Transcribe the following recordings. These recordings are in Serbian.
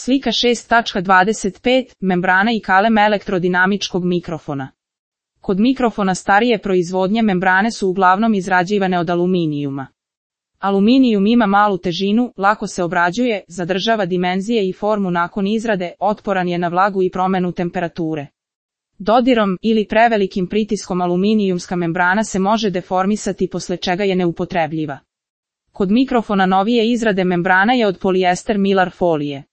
Slika 6.25. Membrana i kalem elektrodinamičkog mikrofona. Kod mikrofona starije proizvodnje membrane su uglavnom izrađivane od aluminijuma. Aluminijum ima malu težinu, lako se obrađuje, zadržava dimenzije i formu nakon izrade, otporan je na vlagu i promenu temperature. Dodirom ili prevelikim pritiskom aluminijumska membrana se može deformisati, posle čega je neupotrebljiva. Kod mikrofona novije izrade membrana je od polijester Mylar folije.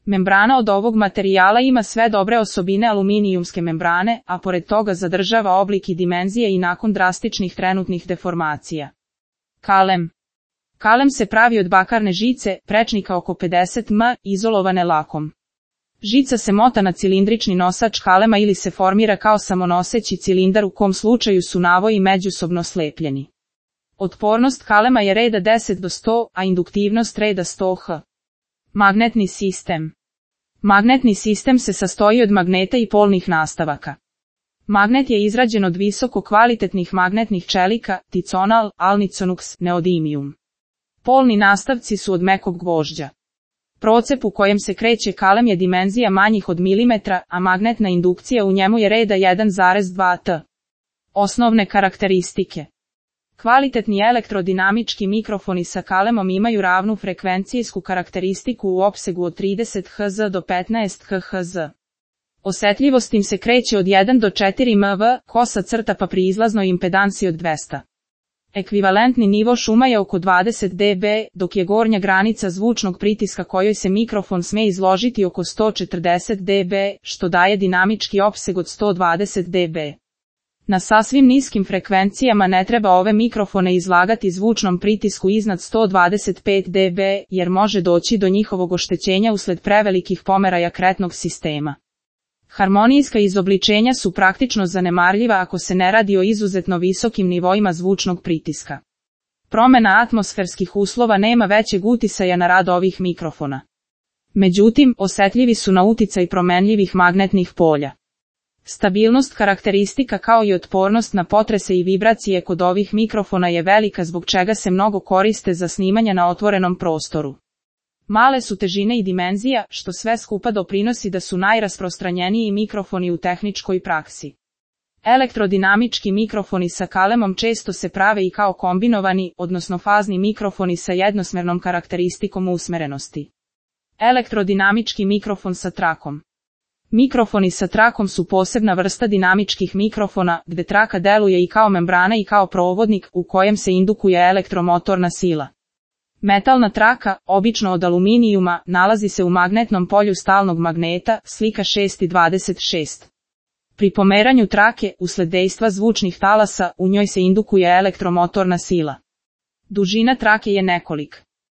Membrana od ovog materijala ima sve dobre osobine aluminijumske membrane, a pored toga zadržava oblik i dimenzije i nakon drastičnih trenutnih deformacija. Kalem. Kalem se pravi od bakarne žice, prečnika oko 50 m, izolovane lakom. Žica se mota na cilindrični nosač kalema ili se formira kao samonoseći cilindar, u kom slučaju su navoji međusobno slepljeni. Otpornost kalema je reda 10 do 100, a induktivnost reda 100 H. Magnetni sistem. Magnetni sistem se sastoji od magneta i polnih nastavaka. Magnet je izrađen od visoko kvalitetnih magnetnih čelika, ticonal, alniconux, neodimium. Polni nastavci su od mekog gvožđa. Procep u kojem se kreće kalem je dimenzija manjih od milimetra, a magnetna indukcija u njemu je reda 1,2 T. Osnovne karakteristike. Kvalitetni elektrodinamički mikrofoni sa kalemom imaju ravnu frekvencijsku karakteristiku u opsegu od 30 Hz do 15 kHz. Osetljivost im se kreće od 1 do 4 mV, kosa crta pa pri izlaznoj impedansi od 200. Ekvivalentni nivo šuma je oko 20 dB, dok je gornja granica zvučnog pritiska kojoj se mikrofon sme izložiti oko 140 dB, što daje dinamički opseg od 120 dB. Na sasvim niskim frekvencijama ne treba ove mikrofone izlagati zvučnom pritisku iznad 125 dB, jer može doći do njihovog oštećenja usled prevelikih pomeraja kretnog sistema. Harmonijska izobličenja su praktično zanemarljiva ako se ne radi o izuzetno visokim nivoima zvučnog pritiska. Promena atmosferskih uslova nema većeg uticaja na rad ovih mikrofona. Međutim, osetljivi su na uticaj promenljivih magnetnih polja. Stabilnost karakteristika kao i otpornost na potrese i vibracije kod ovih mikrofona je velika, zbog čega se mnogo koriste za snimanje na otvorenom prostoru. Male su težine i dimenzija, što sve skupa doprinosi da su najrasprostranjeniji mikrofoni u tehničkoj praksi. Elektrodinamički mikrofoni sa kalemom često se prave i kao kombinovani, odnosno fazni mikrofoni sa jednosmernom karakteristikom usmerenosti. Elektrodinamički mikrofon sa trakom. Mikrofoni sa trakom su posebna vrsta dinamičkih mikrofona, gde traka deluje i kao membrana i kao provodnik, u kojem se indukuje elektromotorna sila. Metalna traka, obično od aluminijuma, nalazi se u magnetnom polju stalnog magneta, slika 6.26. Pri pomeranju trake, usled dejstva zvučnih talasa, u njoj se indukuje elektromotorna sila. Dužina trake je nekolik